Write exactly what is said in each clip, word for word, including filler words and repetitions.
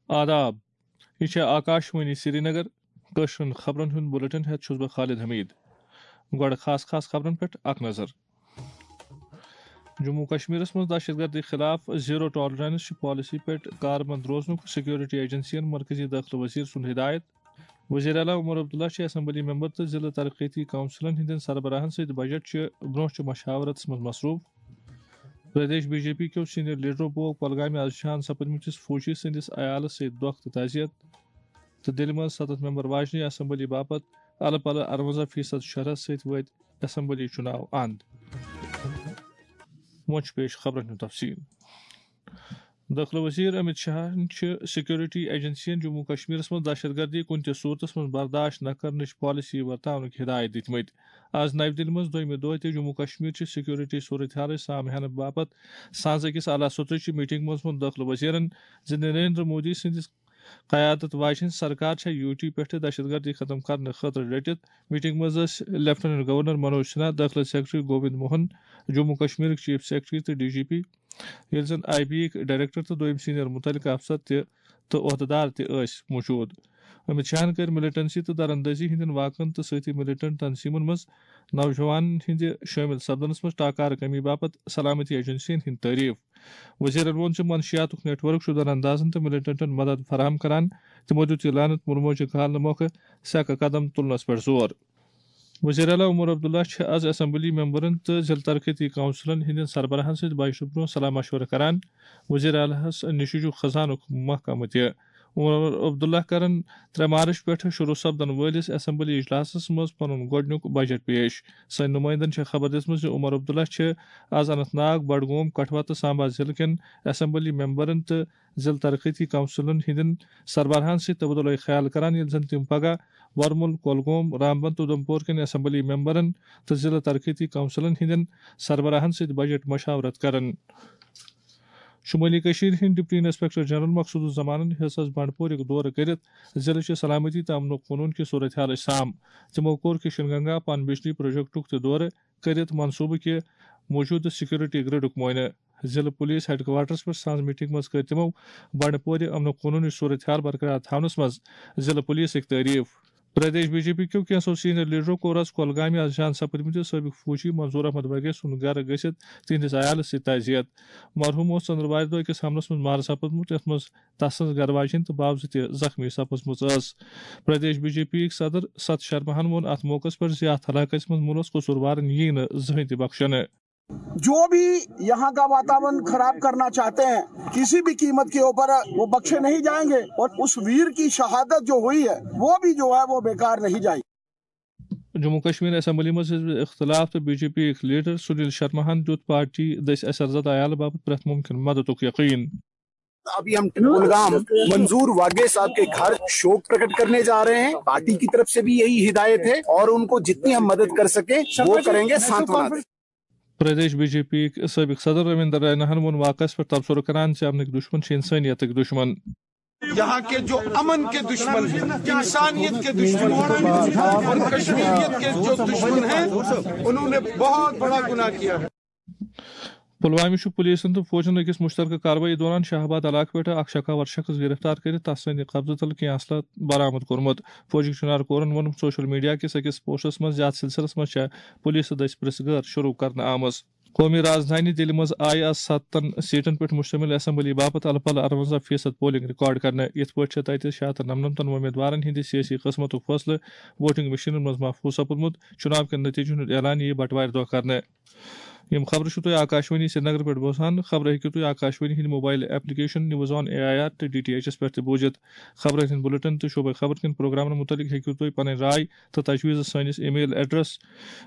آداب، یہِ چھےٚ آکاشوانی سرینگر۔ کٲشرٮ۪ن خبرن ہُنٛد بُلٹن ہٮ۪تھ چھُس بہٕ خالد حمید۔ گۄڈٕ خاص خاص خبرن پٮ۪ٹھ اکھ نظر۔ جموں کشمیرس منٛز دہشت گردی خلاف زیرو ٹالرنس چہِ پالیسی پٮ۪ٹھ کاربند روزنُک سیکورٹی ایجنسین مرکزی دٲخلہٕ وزیر سُنٛد ہدایت۔ وزیر اعلیٰ عمر عبداللہ چھِ اسمبلی ممبر تہٕ ضلع ترقیتی کونسلن ہٕنٛدٮ۪ن سربراہن سۭتۍ بجٹ چہِ برونٛہہ چہِ مشاورتس منٛز مصروٗف۔ پردیش بی جے پی کیو سینئر لیڈرو بوو کۄلگامہِ از شہان سپدمٕتِس فوجی سٕنٛدِس عیالس سۭتۍ دۄکھ تہٕ تعزیت۔ تہٕ دِلہِ منٛز ستتھ ممبر واجنہِ اسمبلی باپتھ الہٕ پلہٕ ارونزہ فیصد شرح سۭتۍ وٲتۍ اسمبلی چُناو اند۔ وۄنۍ چھُ پیش خبرن ہُنٛد تفصیل۔ دٲخلہٕ وزیر امت شاہن چھِ سیکورٹی ایجنسین جموں کشمیرس منٛز دہشت گردی کُنہِ تہِ صورتس منٛز برداشت نہ کرنٕچ پالیسی ورتاونٕکۍ ہدایت دِتمٕتۍ۔ از نَوِ دِلہِ منٛز دوٚیمہِ دۄہ تہِ جموں کشمیر چہِ سیکورٹی صورتحالٕچ سام ہینہٕ باپتھ سانٛز أکِس اعلیٰ سطحٕچہِ میٹنگ منٛز ووٚن دٲخلہٕ وزیرن زِ نریندر مودی سٕنٛدِس قیادت واجنۍ سرکار چھےٚ یوٗ ٹی پٮ۪ٹھٕ دہشت گردی ختم کرنہٕ خٲطرٕ ڈٔٹِتھ۔ میٹنگ منٛز ٲسۍ لیفٹیننٹ گورنر منوج سنہا، دٲخلہٕ سیکرٹری گووند موہن، جموں کشمیرٕکۍ چیف سیکرٹری تہٕ ڈی جی پی، ییٚلہِ زن آئی بی یِکۍ ڈائریکٹر تہٕ دوٚیِم سینئر متعلقہٕ افسر تہِ تہٕ عہدٕدار تہِ ٲسۍ موجود۔ امت شاہن کٔرۍ ملٹنسی تہٕ دراندازی ہٕنٛدٮ۪ن واقعن تہٕ سۭتی ملٹنٹ تنظیمن منٛز نوجوانن ہٕنٛدِ شٲمِل سپدنس منٛز ٹاکارٕ کمی باپتھ سلامتی ایجنسین ہٕنٛدۍ تعریف۔ وزیرن ووٚن زِ منشیاتُک نیٹ ورک چھُ دراندازن تہٕ ملٹنٹن مدد فراہم کران۔ تِمو دیُت یہِ لعنت مُلموجہِ کھالنہٕ مۄکھٕ سیکہٕ قدم تُلنس پٮ۪ٹھ زور۔ وزیر اعلیٰ عمر عبداللہ چھِ از اسمبلی ممبرن تہٕ ضلع ترقیتی کونسلن ہٕنٛدٮ۪ن سربراہن سۭتۍ بجٹہٕ برونٛہہ صلاح مشورٕ کران۔ وزیر اعلیٰ ہس نِشہِ چھُ خزانُک محکمہٕ تہِ۔ عمر عبداللہ کرن ترٛےٚ مارچ پٮ۪ٹھٕ شروع سپدن وٲلِس اسمبلی اجلاسس منٛز پنُن گۄڈٕنیُک بجٹ پیش۔ سٲنۍ نمائندن چھےٚ خبر دِژمٕژ زِ عمر عبداللہ چھِ از اننت ناگ، بڈگوم، کٹھوا تہٕ سامبا ضلعہٕ کٮ۪ن اسمبلی ممبرن تہٕ ضلع ترقیتی کونسلن ہٕنٛدٮ۪ن سربراہن سۭتۍ تبادلہ خیال کران، ییٚلہِ زن تِم پگاہ ورمُل، کۄلگوم، رامبن تہٕ اُدھمپور کٮ۪ن اسمبلی ممبرن تہٕ ضلع ترقیتی کونسلن ہٕنٛدٮ۪ن سربراہن سۭتۍ بجٹ مشاورت کرن۔ شمٲلی کٔشیٖرِ ہٕنٛدۍ ڈپٹی انسپیکٹر جنرل مقصود الزمانن ہیٚژ از بنڈپورُک دورٕ کٔرِتھ ضلعہٕ چہِ سلامتی تہٕ امن و قونوٗن کہِ صورتحالٕچ سام۔ تِمو کوٚر کشن گنگا پن بجلی پروجیکٹُک تہِ دورٕ کٔرِتھ منصوٗبہٕ کہِ موجودٕ سیکورٹی گرڈُک معائنہٕ۔ ضلعہٕ پولیس ہیڈ کوارٹرس پٮ۪ٹھ سانٛز میٹنگ منٛز کٔر تِمو بنڈپورِ امن و قونوٗنٕچ صورتحال برقرار تھاونس منٛز ضلعہٕ پولیسٕکۍ تعریف۔ پردیش بی جے پی کیو کینٛژھو سینئر لیڈرو کوٚر از کۄلگامہِ از جان سپدمٕتِس سٲبق فوجی منظور احمد وگے سُنٛد گرٕ گٔژھِتھ تِہنٛدِس عیالس سۭتۍ تعزیت۔ مرحوم اوس ژٔنٛدٕروارِ دۄہ أکِس حملس منٛز مارٕ سپدمُت، یتھ منٛز تسٕنٛز گرٕ واجِنۍ تہٕ بابہٕ زٕ تہِ زخمی سپٕزمٕژ ٲس۔ پردیش بی جے پی یِکۍ صدر ست شرماہن ووٚن اتھ موقعس پٮ۪ٹھ زِ اتھ علاقس منٛز مُلوث قصوٗروارن یِیہِ نہٕ زٕہٕنۍ تہِ بخشنہٕ۔ जो भी यहाँ का वातावरण खराब करना चाहते हैं, किसी भी कीमत के ऊपर वो बख्शे नहीं जाएंगे और उस वीर की शहादत जो हुई है, वो भी जो है, वो बेकार नहीं जाएगी। جموں کشمیر اسمبلی منٛز حزب اختلاف تہٕ بی جے پی یِکۍ لیڈر سنیل شرماہن دیُت پارٹی دٔسۍ اثر زدہ عیالہٕ باپتھ پرٛٮ۪تھ مُمکِن مددُک یقین۔ अभी हम कुलगाम मंजूर वागे साहब के घर शोक प्रकट करने जा रहे हैं। पार्टी की तरफ से भी यही हिदायत है और उनको जितनी हम मदद कर सके वो करेंगे, सांत्वना दें। پردیش بی جے پی یِکۍ سٲبق صدر رمیندر ریناہن ووٚن واقعس پٮ۪ٹھ تبصرٕ کران زِ امنٕکۍ دشمن چھِ انسٲنیتٕکۍ دشمن۔ यहाँ के जो अमन के दुश्मन हैं, इंसानियत के दुश्मन हैं और कश्मीरियत के जो दुश्मन हैं, उन्होंने बहुत बड़ा गुनाह किया है। پلوامہِ چھُ پولیسن تہٕ فوجن أکِس مُشترکہٕ کاروٲیی دوران شاہ آباد علاقہٕ پٮ۪ٹھٕ اکھ شکاور شخص گرفتار کٔرِتھ تس سٕنٛدِ قبضہٕ تل کینٛہہ اسلحہٕ برآمد کوٚرمُت۔ فوجٕکۍ چُنار کورن ووٚن سوشل میڈیا کِس أکِس پوسٹس منٛز زِ اتھ سلسلس منٛز چھےٚ پولیسہٕ دٔسۍ پرژھ گٲر شروع کرنہٕ آمٕژ۔ قومی رازدھانی دِلہِ منٛز آیہِ از ستن سیٹن پٮ۪ٹھ مشتمل اسمبلی باپتھ الہٕ پلہٕ ارونزہ فیصد پولنگ ریکارڈ کرنہٕ۔ یِتھ پٲٹھۍ چھےٚ تتہِ شیٚیہِ ہتھ تہٕ نمنمتن وۄمیدوارن ہٕنٛدِ سیٲسی قٕسمتُک فٲصلہٕ ووٹنگ مشینن منٛز محفوظ سپُدمُت۔ چُناو کٮ۪ن نتیجن ہُنٛد اعلان یِیہِ بٹوارِ دۄہ کرنہٕ۔ یِم خبرٕ چھِو تُہۍ آکاشوانی سرینگر پٮ۪ٹھ بوزان۔ خبرٕ ہیٚکِو تُہۍ آکاشوانی ہٕنٛدِ mobile application news on A I R تہٕ ڈی ٹی ایچ ایس پٮ۪ٹھ تہِ بوٗزِتھ۔ خبرن ہٕنٛدۍ بُلٹن تہٕ شعبے خبرن ہٕنٛدۍ پروگرامن مُتعلق ہیٚکِو تُہۍ پنٕنۍ راے تہٕ تجویٖز سٲنِس email address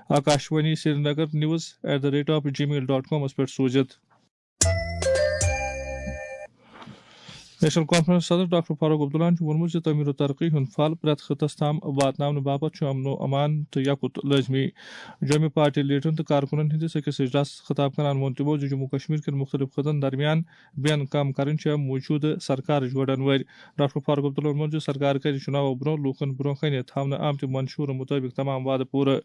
Akashvani Srinagar news at the rate of Gmail dot کامس پٮ۪ٹھ سوٗزِتھ۔ نیشنل کانفرنس صدر ڈاکٹر فاروق عبداللہن چھُ ووٚنمُت زِ تعمیٖر و ترقی ہُنٛد پھل پرٛٮ۪تھ خطس تام واتناونہٕ باپتھ چھُ امن و امان تہٕ یکُت لٲزمی۔ جوٚمہِ پارٹی لیڈرن تہٕ کارکُنن ہٕنٛدِس أکِس اجلاسس خطاب کران ووٚن تِمو زِ جموں کشمیر کٮ۪ن مُختٔلِف خطن درمیان بین کم کرٕنۍ چھےٚ موٗجوٗدٕ سرکارٕچ گۄڈن وٲرۍ۔ ڈاکٹر فاروق عبداللہن ووٚن زِ سرکار کرِ چُناوو برٛونٛہہ لوٗکن برٛونٛہہ کنہِ تھاونہٕ آمتہِ منشورٕ مُطٲبِق تمام وعدٕ پوٗرٕ۔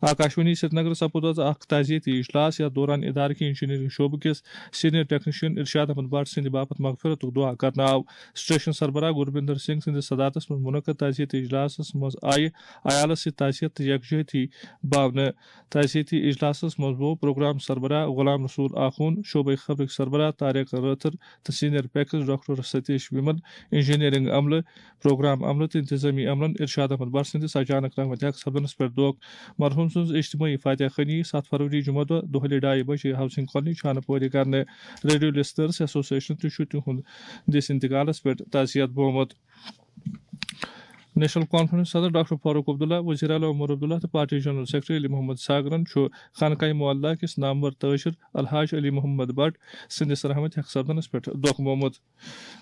آکاشوانی سرینگر سپُد از اکھ تعزیتی اجلاس، یتھ دوران ادارٕ کہِ انجینئرنگ شعبہٕ کِس سینئر ٹیکنیشین ارشاد احمد بٹ سٕنٛدِ باپتھ مغفرتُک دعا کرنہٕ آو۔ سٹیشن سربراہ گروپیندر سنگھ سٕنٛدِس صدارتس منٛز منعقد تعزیتی اجلاسس منٛز آیہِ عیالس سۭتۍ تعزیت تہٕ یکجہتی باونہٕ۔ تعزیتی اجلاسس منٛز گوٚو پروگرام سربراہ غلام رسول آخون، شعبے خبرٕکۍ سربراہ طارق رٲتھر تہٕ سینئر پیکس ڈاکٹر ستیش ومل، انجینئرنگ عملہٕ، پروگرام عملہٕ تہٕ انتظامی عملن ارشاد احمد بٹ سٕنٛدِس اچانک رحمتِ حق سپدنس پٮ۪ٹھ دھوکھ۔ مرحوم سٕنٛز اجتماعی فاتحہ خوانی ستھ فروری جمعہ دۄہ دۄہلہِ ڈایہِ بجے ہاؤسنگ کالونی چھانہٕ پورِ کرنہٕ۔ ریڈیو لسنرز ایسوسیشن تہِ چھُ تِہُنٛد دِس انتقالس پٮ۪ٹھ تعزیت بومُت۔ نیشنل کانفرنس صدر ڈاکٹر فاروق عبداللہ، وزیر اعلیٰ عمر عبداللہ تہٕ party general secretary Ali Mohammad ساگرن چھُ خانقاہ معلیٰ کِس نامور تاجر الحاج علی محمد بٹ سٕنٛدِس رحمتِ حق سپدنس پٮ۪ٹھ دھوکھ بومُت۔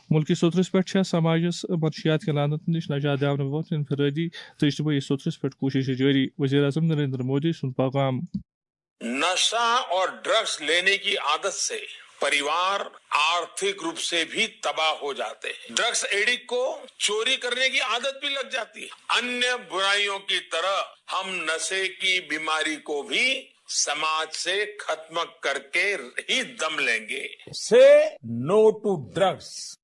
ملکی سوٚترس پٮ۪ٹھ چھےٚ سماجس منشیات کہِ لعنت نِش نجات دِنہٕ باپتھ انفرادی تہٕ اجتماعی سوٚترس پٮ۪ٹھ کوٗششہٕ جٲری۔ وزیر اعظم نریندر مودی سُنٛد پیغام۔ नशा और ड्रग्स लेने की आदत से परिवार आर्थिक रूप से भी तबाह हो जाते हैं। ड्रग्स एडिक्ट को चोरी करने की आदत भी लग जाती है। अन्य बुराइयों की तरह हम नशे की बीमारी को भी समाज से खत्म करके ही दम लेंगे। Say no to drugs.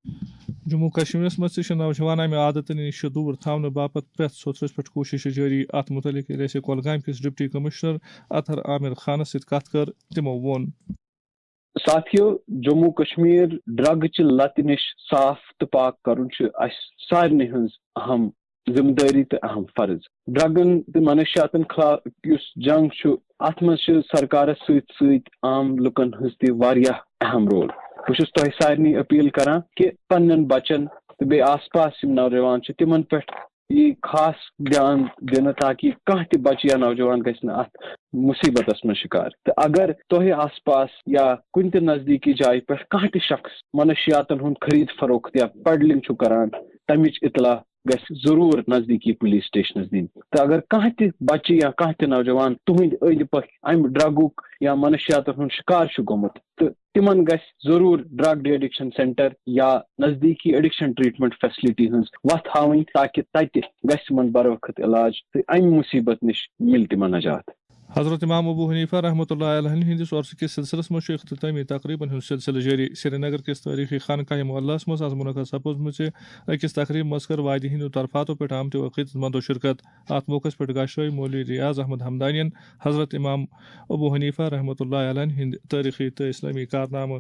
Jammu و کشمیرس منٛز تہِ چھِ نوجوان امہِ عادتہٕ نِش دوٗر تھاونہٕ باپتھ پرٛٮ۪تھ سوٚتھرس پٮ۪ٹھ کوٗششہٕ جٲری۔ اتھ مُتعلق ییٚلہِ اَسہِ کۄلگامہِ کِس ڈپٹی کمشنر اطہر عامر خانس سۭتۍ کتھ کٔر، تِمو ووٚن۔ ساتھیو، جموں کشمیر ڈرگ چہِ لتہِ نِش صاف تہٕ پاک کرُن چھُ اسہِ سارنٕے ہٕنٛز اہم ذمہٕ دٲری تہٕ اہم فرض۔ ڈرگن تہٕ منشیاتن خلاف یُس جنگ چھُ، اتھ منٛز چھِ سرکارس سۭتۍ سۭتۍ عام لُکن ہٕنٛز تہِ واریاہ اہم رول۔ بہٕ چھُس تۄہہِ سارنٕے اپیل کران کہِ پننٮ۪ن بچن تہٕ بیٚیہِ آس پاس یِم نوجوان چھِ، تِمن پٮ۪ٹھ یی خاص دیان دِنہٕ، تاکہِ کانٛہہ تہِ بچہٕ یا نوجوان گژھِ نہٕ اتھ مصیبتس منٛز شکار۔ تہٕ اگر تۄہہِ آس پاس یا کُنہِ تہِ نزدیٖکی جایہِ پٮ۪ٹھ کانٛہہ تہِ شخص منشیاتن ہُنٛد خرید فروخت یا پیڈلنگ چھُ کران، تمِچ اطلاع گژھِ ضروٗر نزدیٖکی پولیس سٹیشنس دِنۍ۔ تہٕ اگر کانٛہہ تہِ بچہٕ یا کانٛہہ تہِ نوجوان تُہنٛدِ أنٛدۍ پٔکۍ امہِ ڈرگُک یا منشیاتن ہُنٛد شکار چھُ گوٚمُت، تہٕ تِمن گژھِ ضروٗر ڈرگ ڈی ایڈکشن سینٹر یا نزدیٖکی ایڈکشن ٹریٹمنٹ فیسلٹی ہٕنٛز وتھ ہاوٕنۍ، تاکہِ تتہِ گژھِ تِمن بروقت علاج تہٕ امہِ مصیبت نِش مِلہِ تِمن نجات۔ حضرت امام ابو حنیفہ رحمۃ اللہ علیہ ہٕنٛدِس عرسہٕ کِس سلسلس منٛز چھُ اختتٲمی تقریبن ہُنٛد سلسلہٕ جٲری۔ سرینگر کِس تٲریخی خانقاہ معلیٰ ہس منٛز از منعقد سپٕزمٕژِ أکِس تقریب منٛز کٔر وادی ہٕنٛدیو طرفاتو پٮ۪ٹھ آمتیو عقیدت مندو شرکت۔ اتھ موقعس پٮ۪ٹھ گاشرٲوۍ مولوی ریاض احمد ہمدانین حضرت امام ابو حنیفہ رحمۃ اللہ علیہ ہٕنٛدۍ تٲریخی تہٕ اسلامی کارنامہٕ۔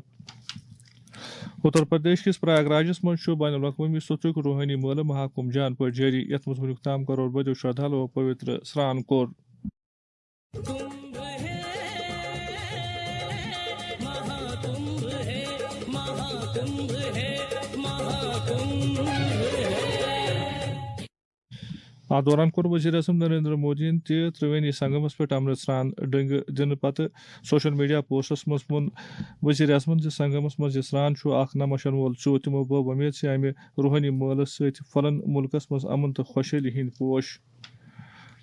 اتر پردیش کِس پریاگ راجس منٛز چھُ بین الاقوٲمی سوٚتھرُک روحٲنی مٲلہٕ مہاکُمب جان پٲٹھۍ جٲری، یتھ منٛز وُنیُک تام کرور بٔدیو شردھالو پویتر سرٛان کوٚر۔ اتھ دوران کوٚر وزیر اعظم نریندر مودیَن تہِ ترٛوینی سنگمس پٮ۪ٹھ امرت سرٛان ڈنگہٕ دِنہٕ پتہٕ سوشل میڈیا پوسٹس منٛز ووٚن وزیر اعظمن زِ سنگمس منٛز یہِ سرٛان چھُ اکھ نمشن وول ژوٚ۔ تِمو بٲو وۄمید زِ امہِ روحٲنی مٲلہٕ سۭتۍ پھۄلن مُلکس منٛز امن تہٕ خۄشحٲلی ہٕنٛدۍ پوش۔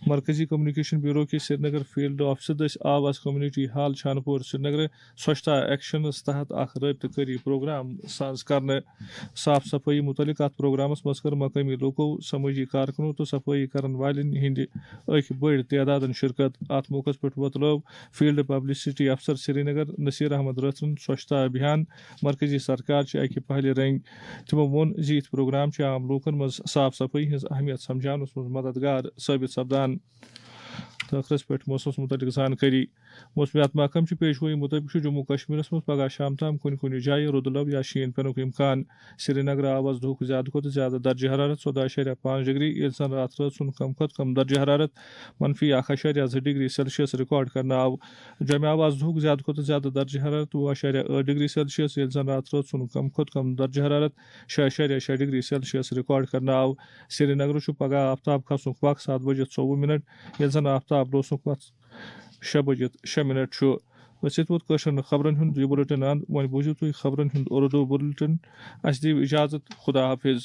مرکزی کمیونیکیشن بیورو کِس سرینگر فیلڈ آفسہٕ دٔسۍ آو از کمیونٹی ہال چھانہٕ پور سرینگرٕ سوچھتا ایکشنس تحت اکھ رٲبطہٕ کٲری پروگرام ساز کرنہٕ۔ صاف صفٲیی متعلق اتھ پروگرامس منٛز کٔر مقٲمی لوکو، سمٲجی کارکنو تہٕ صفٲیی کرن والٮ۪ن ہٕنٛدِ اکہِ بٔڑۍ تعدادن شرکت۔ اتھ موقعس پٮ۪ٹھ وۄتلٲو فیلڈ پبلسٹی افسر سرینگر نصیر احمد رٲتھرن سوچھتا ابھیان مرکزی سرکار چہِ اکہِ پہلہِ رنگۍ۔ تِمو ووٚن زِ یِتھۍ پروگرام چھِ عام لوٗکن منٛز صاف صفٲیی ہٕنٛز اہمیت سمجھاونس منٛز مددگار ثٲبت سپدان۔ تہٕ ٲخرس پٮ۪ٹھ موسمس مُتعلق زانکٲری۔ موسمیات محکمہٕ چہِ پیشگویی مُطٲبِق چھُ جموں کشمیرس منٛز پگاہ شام تام کُنہِ کُنہِ جایہِ رُدٕ لو یا شیٖن پٮ۪نُک امکان۔ سرینگرٕ آو از دُہُک زیادٕ کھۄتہٕ زیادٕ درجہٕ حرارت ژۄداہ اَشاریہ پانٛژھ ڈگری، ییٚلہِ زن راتھ رٲژ ہُنٛد کم کھۄتہٕ کم درجہٕ حرارت منفی اکھ اَشاریہ زٕ ڈگری سیلسیس ریکارڈ کرنہٕ آو۔ جوٚمہِ آو از دُہُک زیادٕ کھۄتہٕ زیادٕ درجہٕ حرارت وُہ اَشاریہ ٲٹھ ڈگری سیلسیس، ییٚلہِ زن راتھ رٲژ ہُنٛد کم کھۄتہٕ کم درجہٕ حرارت شےٚ اَشاریہ شےٚ ڈگری سیلسیس ریکارڈ کرنہٕ آو۔ سرینگرٕ چھُ پگہہ آفتاب کھسنُک وق ستھ بجے ژوٚوُہ منٹ، ییٚلہِ زن آفتاب لوسنُک وق شےٚ بجے شےٚ منٹ چھُ۔ أسۍ ییٚتہِ ووت کٲشرٮ۪ن خبرن ہُنٛد یہِ بُلٹن اند۔ وۄنۍ بوٗزِو تُہۍ خبرن ہُنٛد اردو بُلٹن۔ اَسہِ دِیِو اجازت۔ خدا حافظ۔